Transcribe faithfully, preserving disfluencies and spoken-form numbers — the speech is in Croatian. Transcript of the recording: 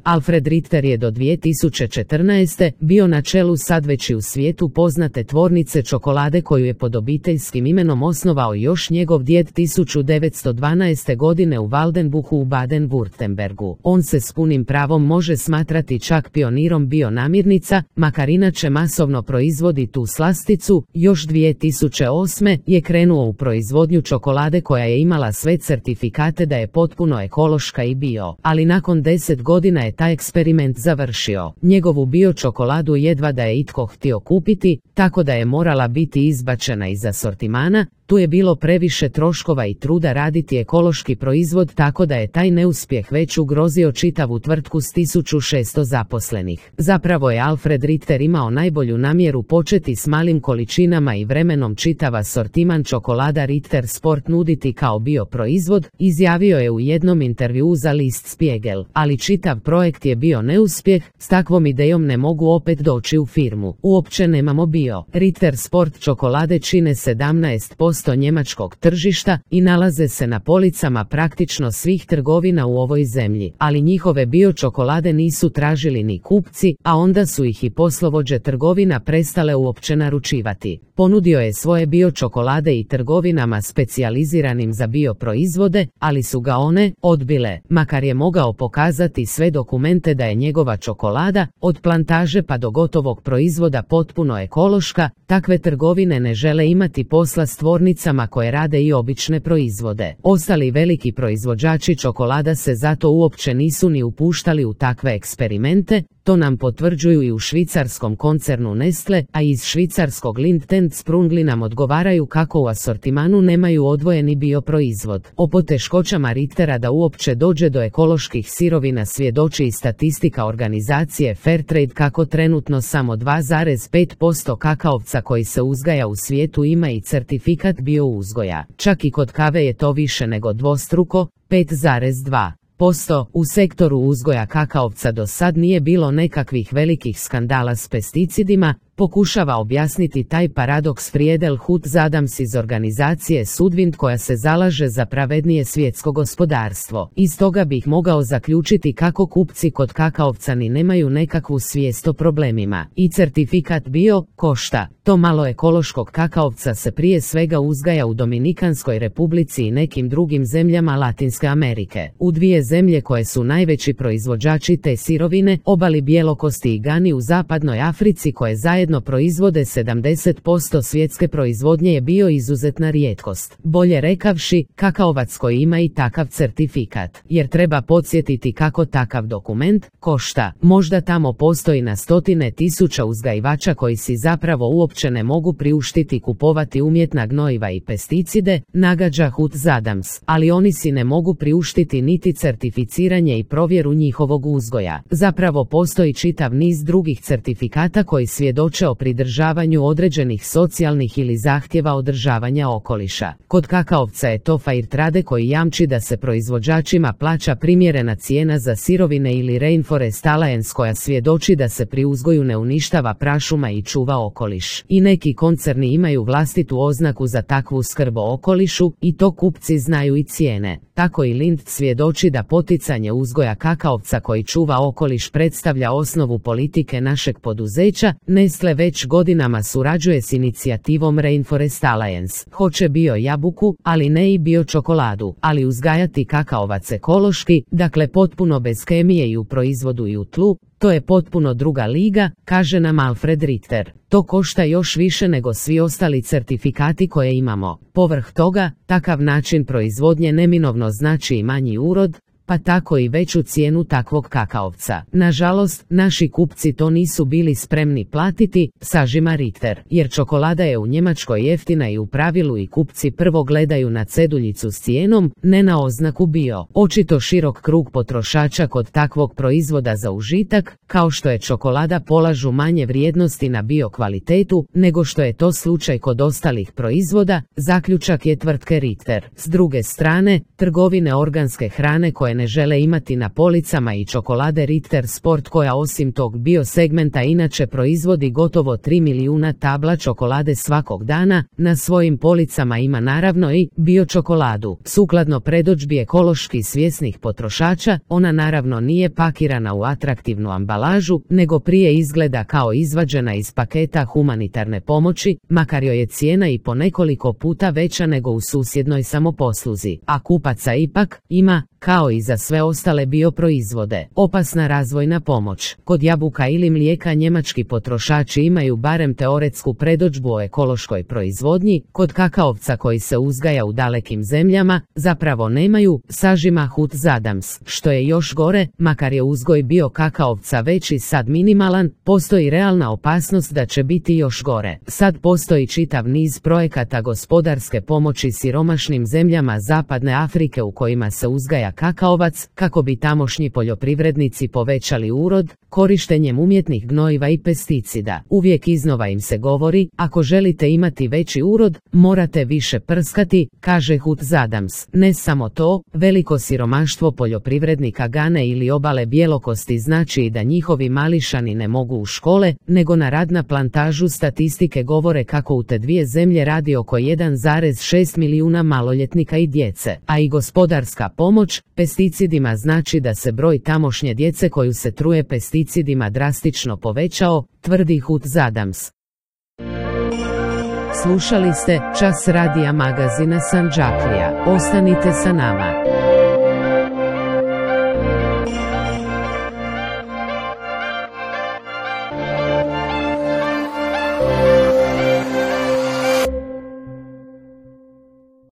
Alfred Ritter je do dvije tisuće četrnaeste. bio na čelu sad već i u svijetu poznate tvornice čokolade koju je pod obiteljskim imenom osnovao još njegov djed tisuću devetsto dvanaeste. godine u Waldenbuchu u Baden-Württembergu. On se s punim pravom može smatrati čak pionirom bionamirnica, makar inače masovno proizvodi tu slasticu. Još dvije tisuće osme. je krenuo u proizvodnju čokolade koja je imala sve certifikate da je potpuno ekološka i bio, ali nakon deset godina je taj eksperiment završio. Njegovu bio čokoladu jedva da je itko htio kupiti, tako da je morala biti izbačena iz asortimana. Tu je bilo previše troškova i truda raditi ekološki proizvod, tako da je taj neuspjeh već ugrozio čitavu tvrtku s tisuću šesto zaposlenih. Zapravo je Alfred Ritter imao najbolju namjeru početi s malim količinama i vremenom čitav asortiman čokolada Ritter Sport nuditi kao bio proizvod, izjavio je u jednom intervjuu za list Spiegel, ali čitav projekt je bio neuspjeh. S takvom idejom ne mogu opet doći u firmu. Uopće nemamo bio. Ritter Sport čokolade čine sedamnaest posto njemačkog tržišta i nalaze se na policama praktično svih trgovina u ovoj zemlji, ali njihove bio čokolade nisu tražili ni kupci, a onda su ih i poslovođe trgovina prestale uopće naručivati. Ponudio je svoje bio čokolade i trgovinama specijaliziranim za bio proizvode, ali su ga one odbile, makar je mogao pokazati sve dokumente da je njegova čokolada, od plantaže pa do gotovog proizvoda, potpuno ekološka. Takve trgovine ne žele imati posla s tvornicama koje rade i obične proizvode. Ostali veliki proizvođači čokolada se zato uopće nisu ni upuštali u takve eksperimente. To nam potvrđuju i u švicarskom koncernu Nestle, a iz švicarskog Lindt and Sprungli nam odgovaraju kako u asortimanu nemaju odvojeni bio proizvod. O poteškoćama Rittera da uopće dođe do ekoloških sirovina svjedoči i statistika organizacije Fairtrade kako trenutno samo dva zarez pet posto kakaovca koji se uzgaja u svijetu ima i certifikat bio uzgoja. Čak i kod kave je to više nego dvostruko, pet zarez dva posto. U sektoru uzgoja kakaovca do sad nije bilo nekakvih velikih skandala s pesticidima, pokušava objasniti taj paradoks Friedel Hutz Adams iz organizacije Sudwind koja se zalaže za pravednije svjetsko gospodarstvo. Iz toga bih mogao zaključiti kako kupci kod kakaovca ni nemaju nekakvu svijest o problemima. I certifikat bio košta. To malo ekološkog kakaovca se prije svega uzgaja u Dominikanskoj republici i nekim drugim zemljama Latinske Amerike. U dvije zemlje koje su najveći proizvođači te sirovine, Obali Bjelokosti i Gani u zapadnoj Africi, koje zajedno proizvode sedamdeset posto svjetske proizvodnje, je bio izuzetna rijetkost. Bolje rekavši, kakaovac koji ima i takav certifikat. Jer treba podsjetiti kako takav dokument košta. Možda tamo postoji na stotine tisuća uzgajivača koji si zapravo uopće ne mogu priuštiti kupovati umjetna gnojiva i pesticide, nagađa Hutz Adams, ali oni si ne mogu priuštiti niti certificiranje i provjeru njihovog uzgoja. Zapravo postoji čitav niz drugih certifikata koji svjedoče o pridržavanju određenih socijalnih ili zahtjeva održavanja okoliša. Kod kakaovca je to Fairtrade koji jamči da se proizvođačima plaća primjerena cijena za sirovine, ili Rainforest Alliance koja svjedoči da se pri uzgoju ne uništava prašuma i čuva okoliš. I neki koncerni imaju vlastitu oznaku za takvu skrb o okolišu i to kupci znaju i cijene. Tako i Lindt svjedoči da poticanje uzgoja kakaovca koji čuva okoliš predstavlja osnovu politike našeg poduzeća. Nestle već godinama surađuje s inicijativom Rainforest Alliance. Hoće bio jabuku, ali ne i bio čokoladu, ali uzgajati kakaovac ekološki, dakle potpuno bez kemije i u proizvodu i u tlu, to je potpuno druga liga, kaže nam Alfred Ritter. To košta još više nego svi ostali certifikati koje imamo. Povrh toga, takav način proizvodnje neminovno znači i manji urod, pa tako i veću cijenu takvog kakaovca. Nažalost, naši kupci to nisu bili spremni platiti, sažima Ritter, jer čokolada je u Njemačkoj jeftina i u pravilu i kupci prvo gledaju na ceduljicu s cijenom, ne na oznaku bio. Očito širok krug potrošača kod takvog proizvoda za užitak, kao što je čokolada, polažu manje vrijednosti na bio kvalitetu, nego što je to slučaj kod ostalih proizvoda, zaključak je tvrtke Ritter. S druge strane, trgovine organske hrane koje ne žele imati na policama i čokolade Ritter Sport koja osim tog biosegmenta inače proizvodi gotovo tri milijuna tabla čokolade svakog dana, na svojim policama ima naravno i biočokoladu. Sukladno predodžbi ekološki svjesnih potrošača, ona naravno nije pakirana u atraktivnu ambalažu, nego prije izgleda kao izvađena iz paketa humanitarne pomoći, makar joj je cijena i po nekoliko puta veća nego u susjednoj samoposluzi, a kupaca ipak ima, kao i za sve ostale bioproizvode. Opasna razvojna pomoć. Kod jabuka ili mlijeka njemački potrošači imaju barem teoretsku predodžbu o ekološkoj proizvodnji, kod kakaovca koji se uzgaja u dalekim zemljama, zapravo nemaju, sažima Hutz Adams. Što je još gore, makar je uzgoj bio kakaovca već i sad minimalan, postoji realna opasnost da će biti još gore. Sad postoji čitav niz projekata gospodarske pomoći siromašnim zemljama Zapadne Afrike u kojima se uzgaja kakaovac, kako bi tamošnji poljoprivrednici povećali urod, korištenjem umjetnih gnojiva i pesticida. Uvijek iznova im se govori, ako želite imati veći urod, morate više prskati, kaže Hutz Adams. Ne samo to, veliko siromaštvo poljoprivrednika Gane ili obale bjelokosti znači i da njihovi mališani ne mogu u škole, nego na rad na plantažu. Statistike govore kako u te dvije zemlje radi oko jedan zarez šest milijuna maloljetnika i djece, a i gospodarska pomoć pesticidima znači da se broj tamošnje djece koju se truje pesticidima drastično povećao, tvrdi Hutz Adams. Slušali ste Čas radija magazina Sandžaklija. Ostanite sa nama.